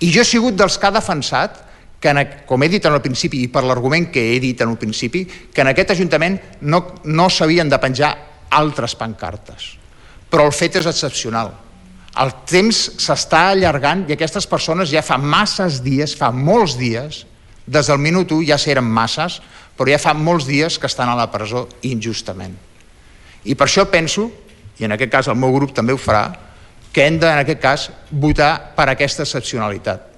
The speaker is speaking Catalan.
I jo he sigut dels que ha defensat, com he dit en el principi i per l'argument que he dit en el principi, que en aquest Ajuntament no s'havien de penjar altres pancartes. Però el fet és excepcional. El temps s'està allargant i aquestes persones ja fa masses dies, fa molts dies, des del minut 1 ja eren masses, però ja fa molts dies que estan a la presó injustament. I per això penso, i en aquest cas el meu grup també ho farà, que hem de, en aquest cas, votar per aquesta excepcionalitat.